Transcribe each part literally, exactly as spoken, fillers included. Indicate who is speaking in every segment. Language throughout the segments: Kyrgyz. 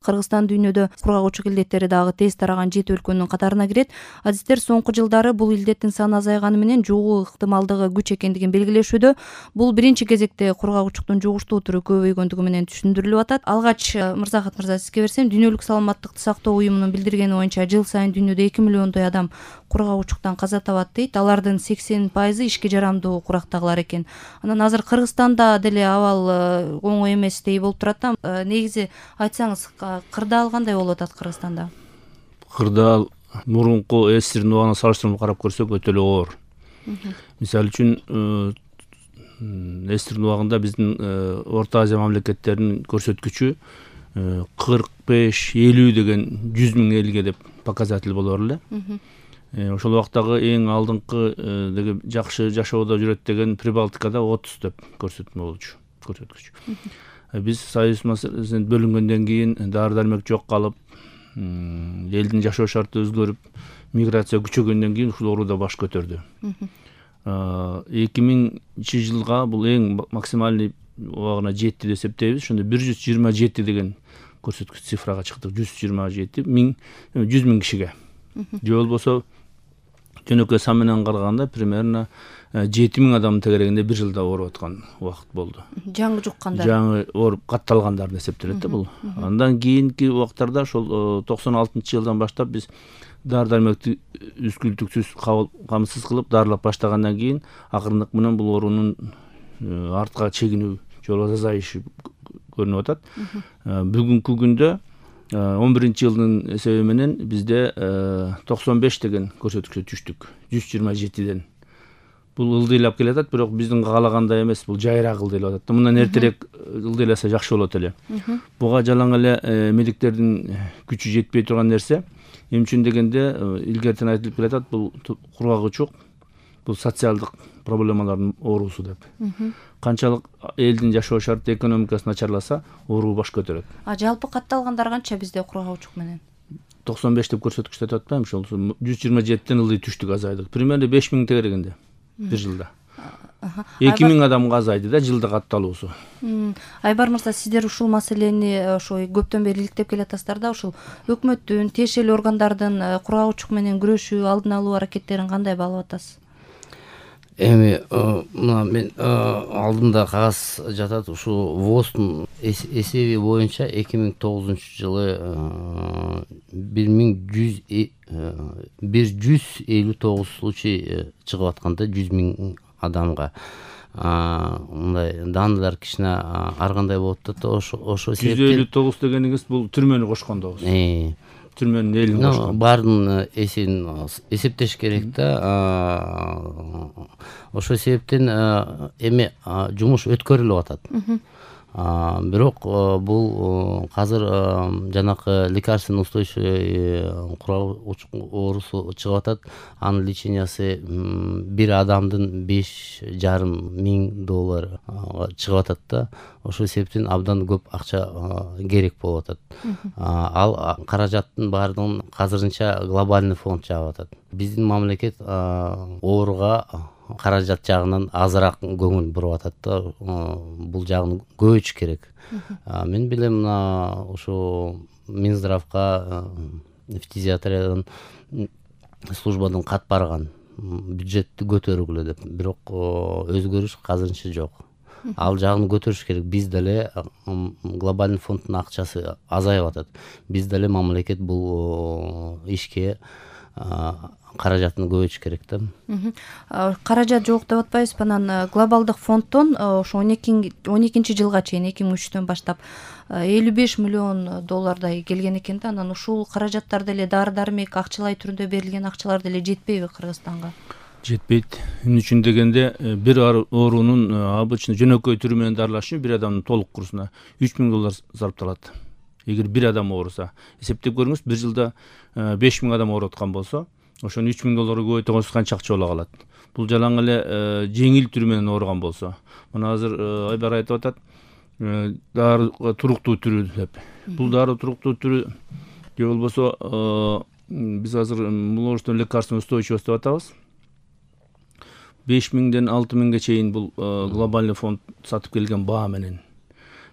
Speaker 1: Кыргызстан дүйнөдө кургагучулук илдеттери дагы тез тараган жети өлкөнүн катарына кирет. Адистер соңку жылдары бул илдеттин саны азайганы менен жугуу ыктымалдыгы күч экендигин белгилешүүдө. Бул биринчи кезекте кургагучулуктун жугуштуу түрү көбөйгөндүгү менен түшүндүрүлүп атат. Алгач Мырзахат мырза сизге берсем, Дүйнөлүк саламаттыкты сактоо уюмунун билдиргени боюнча жыл сайын дүйнөдө эки миллиондой адам кургагучулуктан каза табат дейт. Алардын сексен пайызы ишке жарамдуу курактагылар экен. Анан азыр Кыргызстанда деле абал оңой эместей болуп турат да. Негизи айтсаңыз, кырдаал кандай болуп атат Кыргызстанда?
Speaker 2: Кырдаал мурунку эсирдин убагына салыштырмалуу карап көрсөк өтө эле оор. Мисалы үчүн эсирдин убагында биздин Орто Азия мамлекеттеринин көрсөткүчү кырк беш элүү деген жүз миң элге деп показатель болор эле. Ошол убактагы эң алдыңкы деген жакшы жашоодо жүрөт деген Прибалтикада отуз деп көрсөтмө болчу, көрсөткүч. Биз Союз маселесинен бөлүнгөндөн кийин дары дармек жок калып, элдин жашоо шарты өзгөрүп, миграция күчөгөндөн кийин ушул оору да баш көтөрдү. эки миңинчи жылга бул эң максимальный убагына жетти деп эсептейбиз. Ошондо бир жүз жыйырма жети деген көрсөткүч цифрага чыктык. жүз жыйырма жети миң жүз миң кишиге. Же болбосо жөнөкөй сан менен караганда примерно жети миң адамдын тегерегинде бир жылда ооруп аткан убакыт болду.
Speaker 1: Жаңы жуккандар.
Speaker 2: Жаңы ооруп катталгандар деп эсептелет да бул. Андан кийинки убактарда ошол токсон алтынчы жылдан баштап биз дары дармекти үзгүлтүксүз камсыз кылып дарылап баштагандан кийин акырындык менен бул оорунун артка чегинүү же болбосо азайышы көрүнүп атат. Бүгүнкү күндө он биринчи жылдын эсеби менен бизде токсон беш деген көрсөткүчкө түштүк. жүз жыйырма жетиден. Бул ылдыйлап келатат, бирок биздин каалагандай эмес, бул жайыраак ылдыйлап атат. Мындан эртерээк ылдыйласа жакшы болот эле. Буга жалаң эле медиктердин күчү жетпей турган нерсе. Эмне үчүн дегенде, илгертен айтылып келатат, бул кургагучулук, бул социалдык проблемалардын оорусу деп. Канчалык элдин жашоо шарты, экономикасы начарласа, оору баш көтөрөт.
Speaker 1: А жалпы катталгандар канча бизде кургагучулук менен?
Speaker 2: токсон беш деп көрсөткүчтө деп атпаймынбы, ошол жүз жыйырма жетиден ылдый түштүк, азайдык. Примерно беш миң тегерегинде бир жылда. эки миң адамга азайды да жылда катталуусу.
Speaker 1: Айбар мырза, сиздер ушул маселени ошо көптөн бери иликтеп келатасыздар да, ушул өкмөттүн, тиешелүү органдардын кургагучулук менен күрөшүү, алдын алуу аракеттерин кандай баалап атасыз?
Speaker 3: Эми мына мен алдымда кагаз жатат, ушул ВОЗдун эсеби боюнча эки миң тогузунчу жылы бир жүз элүү тогуз случай чыгып атканда жүз миң адамга. Мындай данылар кичине ар кандай болуп атат. Ошо себептен
Speaker 2: жүз элүү тогуз дегениңиз бул түрмөнү кошкондогу. Түрмөнүн элин кошкон.
Speaker 3: Баардын эсин эсептеш керек да. Ошол себептен эми жумуш өткөрүлүп атат. Бирок бул азыр жанакы лекарственно устойчивый кургагучулук оорусу чыгып атат. Анын лечениясы бир адамдын беш жарым миң доллар чыгып атат да. Ошол себептен абдан көп акча керек болуп атат. Ал каражаттын баардыгын азырынча глобальный фонд жаап атат. Биздин мамлекет ооруга каражат жагынан азыраак көңүл буруп атат да. Бул жагын көбөйтүш керек. Мен билем, мына ушу Минздравга фтизиатриядан службадан кат барган, бюджетти көтөргүлө деп. Бирок өзгөрүш азырынча жок. Ал жагын көтөрүш керек. Биз деле глобальный фонддун акчасы азайып атат. Биз деле мамлекет бул ишке каражатын көбөйтүш керек да.
Speaker 1: Каражат жок деп атпайбызбы? Анан глобалдык фонддон ошо он экинчи жылга чейин, эки миң үчтөн баштап элүү беш миллион доллардай келген экен да. Анан ушул каражаттар деле дары дармек акчалай түрүндө берилген акчалар деле жетпейби Кыргызстанга?
Speaker 2: Жетпейт. Эмне үчүн дегенде, бир оорунун обычно жөнөкөй түрү менен дарылаш үчүн бир адамдын толук курсуна үч миң доллар зарпталат. Эгер бир адам ооруса, эсептеп көрүңүз, бир жылда беш миң адам ооруп аткан болсо, ошону үч миң долларга көбөйтө койсоң канча акча боло калат. Бул жалаң эле жеңил түрү менен ооруган болсо. Мына азыр Айбар айтып атат, дары туруктуу түрү деп. Бул дары туруктуу түрү же болбосо биз азыр муложественный лекарственный устойчивость деп атабыз. беш миңден алты миңге чейин бул глобальный фонд сатып келген баа менен.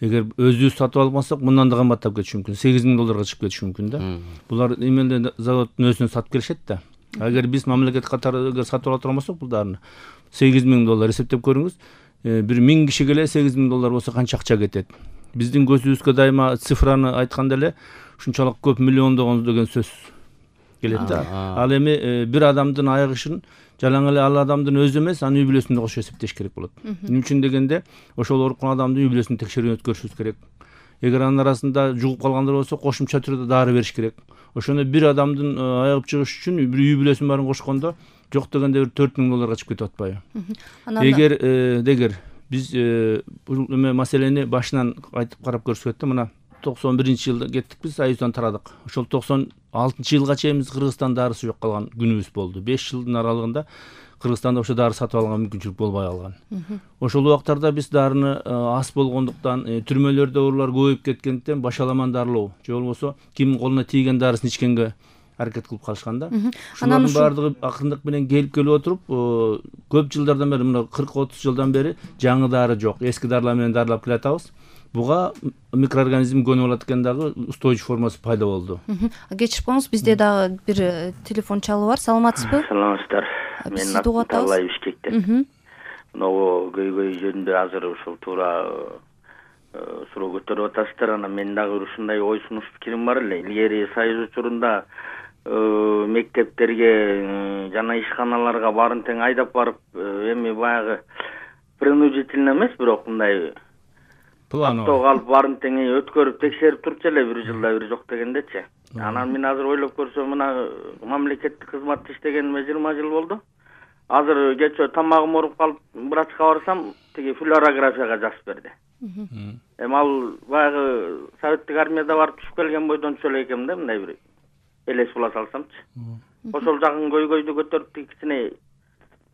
Speaker 2: эгер өзүбүз сатып алмасак мындан да кымбаттап кетиши мүмкүн, сегиз миң долларга чыгып кетиши мүмкүн да. Булар эмеле заводдун өзүнөн сатып келишет да. Эгер биз мамлекет катары эгер сатып ала турбасак бул дарыны сегиз миң доллар эсептеп көрүңүз. Бир миң киши келе сегиз миң доллар болсо канча акча кетет. Биздин көзүбүзгө дайыма цифраны айтканда эле ушунчалык көп миллиондогон деген сөз келет да. Ал эми бир адамдын аяк ишин жалаң эле ал адамдын өзү эмес, анын үй бүлөсүн да кошо эсептеш керек болот. Эмне үчүн дегенде, ошол ооруткан адамдын үй бүлөсүн текшерүүнү өткөрүшүбүз керек. Эгер анын арасында жугуп калгандар болсо, кошумча түрдө дары бериш керек. Ошону бир адамдын айыгып чыгыш үчүн бир үй бүлөсүнүн баарын кошкондо жок дегенде бир төрт миң долларга чыгып кетип атпайбы? Эгер дегер биз бул эме маселени башынан айтып карап көрсөк да, мына токсон биринчи жылда кеттик биз, Союздан тарадык. Ошол токсон алтынчы жылга чейин биз Кыргызстан дарысы жок калган күнүбүз болду. беш жылдын аралыгында Кыргызстанда ошо дары сатып алганга мүмкүнчүлүк болбой калган. Ошол убактарда биз дарыны аз болгондуктан, түрмөлөрдө оорулар көбөйүп кеткендиктен башаламан дарылоо же болбосо кимдин колуна тийген дарысын ичкенге аракет кылып калышкан да. Ушулардын баардыгы акырындык менен келип келип отуруп, көп жылдардан бери, мына кырк отуз жылдан бери жаңы дары жок. Эски дарылар менен дарылап келатабыз. Буга микроорганизм көнүп алат экен, дагы устойчив формасы пайда болду.
Speaker 1: Кечирип бизде дагы бир телефон чалуу бар. Саламатсызбы?
Speaker 4: Саламатсыздар.
Speaker 1: Мен Абдулла
Speaker 4: Бишкектен. Могу көйгөй жөнүндө азыр ушул туура суроо көтөрүп атасыздар. Анан мен дагы ушундай ой сунуш пикирим бар эле. Илгери Союз учурунда мектептерге жана ишканаларга баарын тең айдап барып, эми баягы принудительно эмес, бирок мындай планово алып баарын тең өткөрүп текшерип турчу эле, бир жылда бир жок дегендечи. Анан мен азыр ойлоп көрсөм, мына мамлекеттик кызматта иштегениме жыйырма жыл болду. Азыр кечээ тамагым ооруп калып врачка барсам, тиги флюорографияга жазып берди. Эми ал баягы советтик армияда барып түшүп келген бойдончу эле экенмин да, мындай бир элес була салсамчы. Ошол жагын көйгөйдү көтөрүп кичине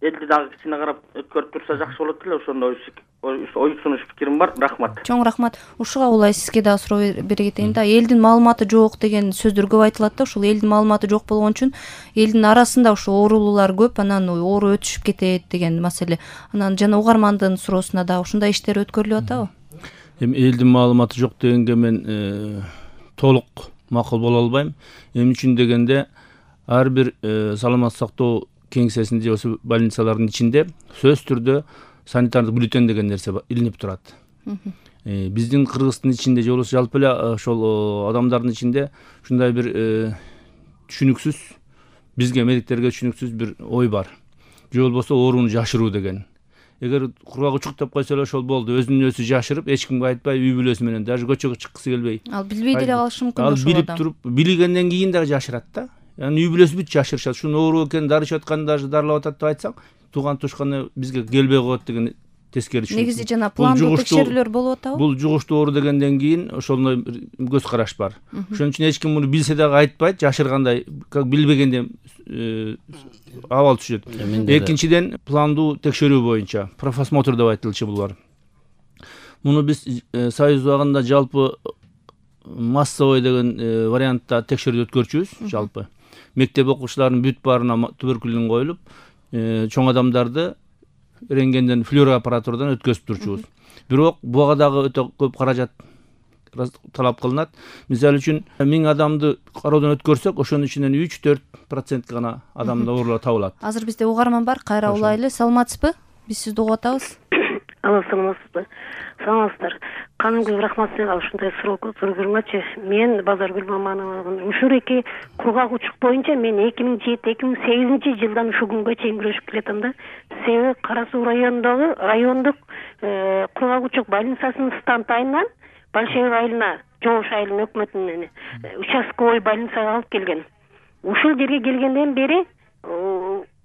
Speaker 4: элди дагы кичине карап өткөрүп турса жакшы болот эле. Ошондой ой сунуш пикирим бар. Рахмат.
Speaker 1: Чоң рахмат. Ушуга улай сизге дагы суроо бере кетейин да. Элдин маалыматы жок деген сөздөр көп айтылат да. Ушул элдин маалыматы жок болгон үчүн элдин арасында ушу оорулуулар көп, анан оору өтүшүп кетет деген маселе. Анан жана угармандын суроосуна дагы ушундай иштер өткөрүлүп атабы?
Speaker 2: Эми элдин маалыматы жок дегенге мен толук макул боло албайм. Эмне үчүн дегенде, ар бир саламаттык сактоо кеңсесинде, ошо больницалардын ичинде сөзсүз түрдө санитардык бюллетень деген нерсе илинип турат. Биздин Кыргыздын ичинде же болбосо жалпы эле ошол адамдардын ичинде ушундай бир түшүнүксүз, бизге медиктерге түшүнүксүз бир ой бар. Же болбосо ооруну жашыруу деген. Эгер кургак учук деп койсо эле ошол болду, өзүнүн өзү жашырып, эч кимге айтпай, үй бүлөсү менен даже көчөгө чыккысы келбей.
Speaker 1: Ал билбей деле калышы мүмкүн ошол
Speaker 2: адам. Ал билип туруп, билгенден кийин дагы жашырат да. Яны үй бүлөсү бүт жашырышат. Ушунун оору экенин дары ичип атканда даже дарылап атат деп айтсаң, тууган тушканы бизге келбей коет деген тескери түшүнүк.
Speaker 1: Негизи жана пландуу текшерүүлөр болуп атабы?
Speaker 2: Бул жугуштуу оору дегенден кийин ошондой көз караш бар. Ошон үчүн эч ким муну билсе дагы айтпайт, жашыргандай, как билбегенде абал түшөт. Экинчиден, пландуу текшерүү боюнча профосмотр деп айтылчу бул бар. Муну биз Союз убагында жалпы массовый деген вариантта текшерүү өткөрчүбүз, жалпы. Мектеп окуучуларынын бүт баарына туберкулин коюлуп, чоң адамдарды рентгенден, флюороаппаратурадан өткөзүп турчубуз. Бирок буга дагы өтө көп каражат талап кылынат. Мисалы үчүн миң адамды кароодон өткөрсөк, ошонун ичинен үч төрт процент гана адамда оорулар табылат.
Speaker 1: Азыр бизде угарман бар, кайра улайлы. Саламатсызбы? Биз сизди угуп атабыз.
Speaker 5: Алло, саламатсызбы? Саламатсыздар. Канымгүл рахмат сизге ушундай суроо көргөнгөчү. Мен Базаргүл Мамановмун. Ушуреки кургак учук боюнча мен эки миң жети эки миң сегизинчи жылдан ушул күнгө чейин күрөшүп келатам да. Себеби Кара Суу районундагы райондук кургак учук больницасынын стандайынан Большевик айылына, Жоңуш айылынын өкмөтүнөн участковый больницага алып келген. Ушул жерге келгенден бери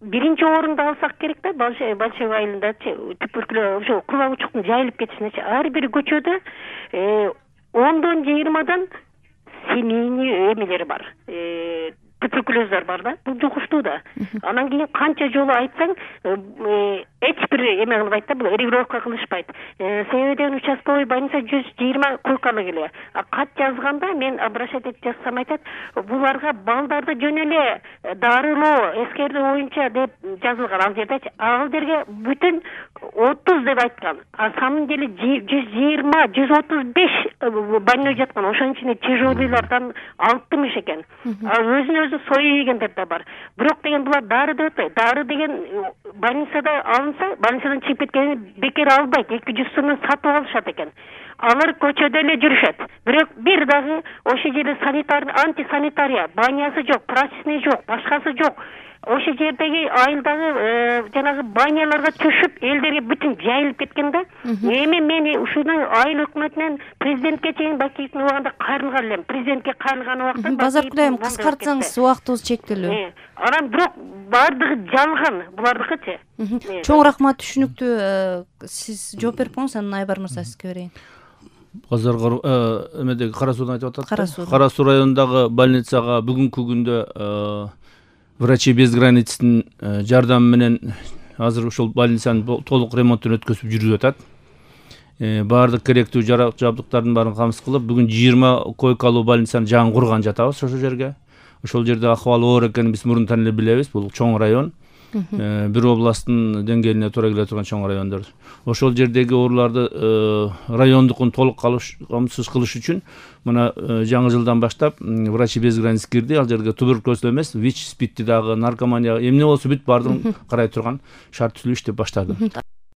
Speaker 5: биринчи орунду алсак керек да, Большевик айылындачы туберкулез ошо кургак учуктун жайылып кетишинечи. Ар бир көчөдө ондон жыйырмадан семейный эмелер бар. туберкулездар бар да, бул жугуштуу да. Анан кийин канча жолу айтсаң, эч бир эме кылбайт да, бул регулировка кылышпайт. Себеби деген участковый больница жүз жыйырма койкалык эле. Кат жазганда мен обращать этип жазсам айтат, буларга балдарды жөн эле дарылоо, эскертүү боюнча деп жазылган ал жердечи. Ал жерге бүтүн отуз деп айткан. А самом деле жүз жыйырма, жүз отуз беш больной жаткан. Ошонун ичинде тяжелыйлардан алтымыш экен. Өзүнө өзү сою жегендер да бар. Бирок деген булар дары деп атпайт. Дары деген больницада алынса, больницадан чыгып кеткенин бекер албайт. эки жүз сомдон сатып алышат экен. Алар көчөдө эле жүрүшөт. Бирок бир дагы ошол жерде санитарный, антисанитария, банясы жок, прачечный жок, башкасы жок. Ошол жердеги айылдагы жанагы баняларга түшүп, элдерге бүтүн жайылып кеткен да. Эми мен ушуну айыл өкмөтүнөн президентке чейин Бакиевдин убагында кайрылган элем. Президентке кайрылган убакта
Speaker 1: Базаркүл айым, кыскартсаңыз, убактыбыз чектелүү.
Speaker 5: Анан бирок бардыгы жалган, булардыкычы.
Speaker 1: Чоң рахмат, түшүнүктүү. Сиз жооп берип коюңуз, анан Айбар мырза сизге берейин.
Speaker 2: Базар эмедеги Кара Суудан айтып атат.
Speaker 1: Кара Суу.
Speaker 2: Кара Суу районундагы больницага бүгүнкү күндө Врачи без граництин жардамы менен азыр ушул больницанын толук ремонтун өткөзүп жүрүп атат. Баардык керектүү жарак жабдыктардын баарын камсыз кылып, бүгүн жыйырма койкалуу больницаны жаңы курган жатабыз ошол жерге. Ошол жерде акыбалы оор экенин биз мурунтан эле билебиз. Бул чоң район. Бир областтын деңгээлине туура келе турган чоң райондор. Ошол жердеги ооруларды райондукун толук камсыз кылыш үчүн мына жаңы жылдан баштап Врачи без границ кирди. Ал жерге туберкулез эмес, ВИЧ, СПИДти дагы, наркомания, эмне болсо бүт баардыгын карай турган шарт түзүлүш деп баштады.